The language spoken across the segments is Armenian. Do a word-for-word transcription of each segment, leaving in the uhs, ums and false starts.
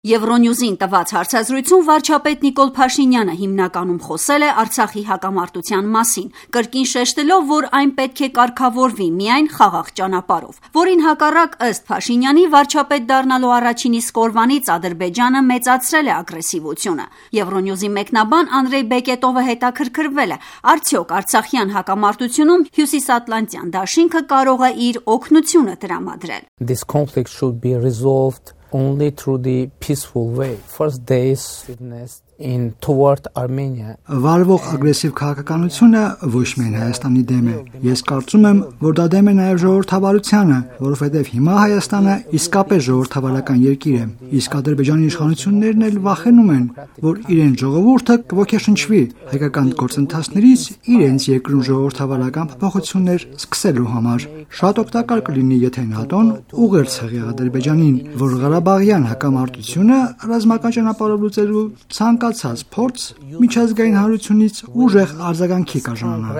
Եվրոնյուզին տված հարցազրույցում վարչապետ Նիկոլ Փաշինյանը հիմնականում խոսել է Արցախի հակամարտության մասին, կրկին շեշտելով, որ այն պետք է կարգավորվի միայն խաղաղ ճանապարհով, որին հակառակ ըստ Փաշինյանի վարչապետ դառնալու առաջին իսկ օրվանից Ադրբեջանը մեծացրել է ագրեսիվությունը։ Եվրոնյուզի մեկնաբան Անդրեյ Բեկետովը հետաքրքրվել է, արդյոք արցախյան հակամարտությունում Հյուսիսատլանտյան դաշինքը կարող է իր օգնությունը տրամադրել։ This conflict should be resolved only through the peaceful way. First days witnessed in toward Armenia. Վարվող ագրեսիվ քաղաքականությունը ոչ միայն Հայաստանի դեմ է։ Ես կարծում եմ, որ դա դեմ է նաև ժողովրդավարությանը, որովհետև հիմա Հայաստանը իսկապես ժողովրդավարական երկիր է։ Իսկ Ադրբեջանի իշխանություններն էլ վախենում են, որ իրենց ժողովուրդը կոգեշնչվի հայկական գործընթացներից իրենց երկրում ժողովրդավարական փոփոխություններ սկսելու համար։ Շատ օգտակար կլինի, եթե ՆԱՏՕ-ն ուղերձ հղի Ադրբեջանին, որ Ղարաբաղյան հակամարտությունը ռազմական ճանապարհով լուծելու ցանկացած փորձ միջազգային հանրությունից ուժեղ արձագանքի կժանանա։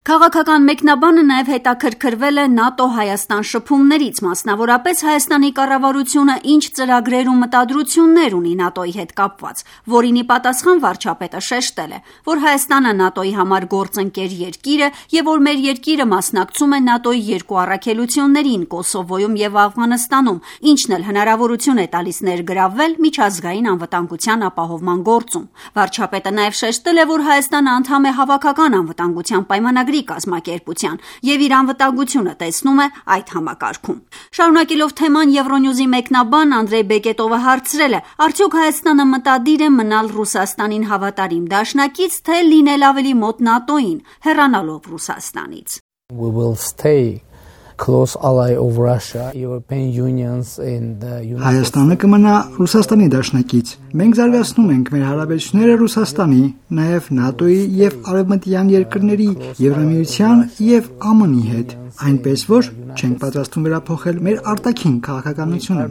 Քաղաքական մեկնաբանը նաև հետաքրքրվել է ՆԱՏՕ-Հայաստան շփումներից, մասնավորապես Հայաստանի կառավարությունը ինչ ծրագրեր ու մտադրություններ ունի ՆԱՏՕ-ի հետ կապված, որին ի պատասխան վարչապետը շեշտել է, որ Հայաստանը ՆԱՏՕ-ի համար գործընկեր երկիր է եւ որ մեր երկիրը մասնակցում է ՆԱՏՕ-ի երկու առաքելություններին Կոսովոյում եւ Աֆղանստանում, ինչն էլ հնարավորություն է տալիս ներգրավվել միջազգային անվտանգության ապահովման գործում։ Վարչապետը նաև շեշտել է, որ Հայաստանը անդամ է հավաքական անվտանգության պայմանագրի կազմակերպության եւ իր անվտանգությունը տեսնում է այդ համակարգում։ Շարունակելով թեման Եվրոնյուզի մեկնաբան Անդրեյ Բեկետովը հարցրել է. արդյոք Հայաստանը մտադիր է մնալ Ռուսաստանին հավատարիմ դաշնակից, թե լինել ավելի մոտ ՆԱՏՕ-ին, հեռանալով Ռուսաստանից։ We will stay close ally of Russia, European Unions and the United Հայաստանը կմնա Ռուսաստանի դաշնակից։ Մենք զարգացնում ենք մեր հարաբերությունները Ռուսաստանի, նաև ՆԱՏՕ-ի եւ արևմտյան երկրների, Եվրամիության եւ ԱՄՆ-ի հետ, այնպես որ չենք պատրաստվում վերափոխել մեր արտաքին քաղաքականությունը։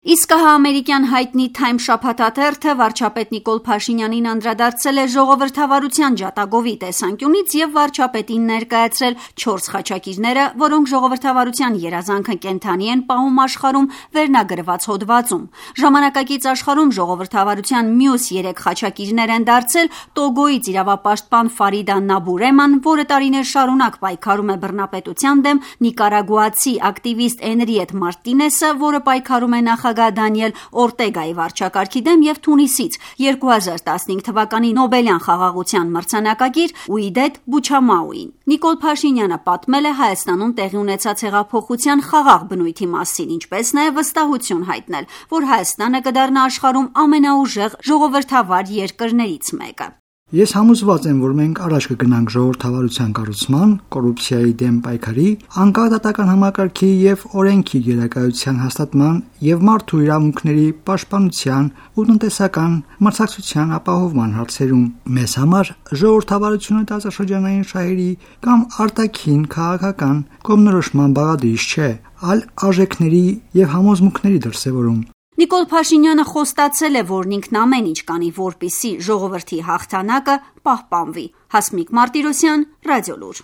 Իսկ հա ամերիկյան հայտնի Time շաբաթաթերթը վարչապետ Նիկոլ Փաշինյանին անդրադարձել է ժողովրդավարության ջատագովի տեսանկյունից եւ վարչապետին ներկայացրել չորս խաչակիրները, որոնք ժողովրդավարության երազանքը կենթանի են պահում աշխարհում վերնագրված հոդվածում։ Ժամանակակից աշխարհում ժողովրդավարության մյուս երեք խաչակիրներ են դարձել Տոգոյից իրավապաշտպան Ֆարիդա Նաբուրեման, որը տարիներ շարունակ պայքարում է բռնապետության դեմ, նիկարագուացի ակտիվիստ Էնրիետ Մարտինեսը, որը պայքարում է նախագահ Դանիել Օրտեգայի վարչակարգի դեմ եւ Թունիսից երկու հազար տասնհինգ թվականի Նոբելյան խաղաղության մրցանակակիր Ուիդետ Բուչամաուին։ Նիկոլ Փաշինյանը պատմել է Հայաստանում տեղի ունեցած հեղափոխության խաղաղ բնույթի մասին, ինչպես նաեւ վստահություն հայտնել, որ Հայաստանը կդառնա աշխարհում ամենաուժեղ ժողովրդավար երկրներից մեկը։ Ես համոզված եմ, որ մենք առաջ կգնանք ժողովրդավարության կառուցման, կոռուպցիայի դեմ պայքարի, անկախ դատական համակարգի եւ օրենքի գերակայության հաստատման եւ մարդու իրավունքների պաշտպանության ու տնտեսական մրցակցության ապահովման հարցերում։ Մեզ համար ժողովրդավարությունը տարածաշրջանային շահերի կամ արտաքին քաղաքական կողմնորոշման բաղադրիչ չէ, այլ արժեքների եւ համոզմունքների դրսեւորում։ Նիկոլ Փաշինյանը խոստացել է, որ ինքն ամեն ինչ կանի, որպեսզի ժողովրդի հաղթանակը պահպանվի։ Հասմիկ Մարտիրոսյան, Ռադիոլուր։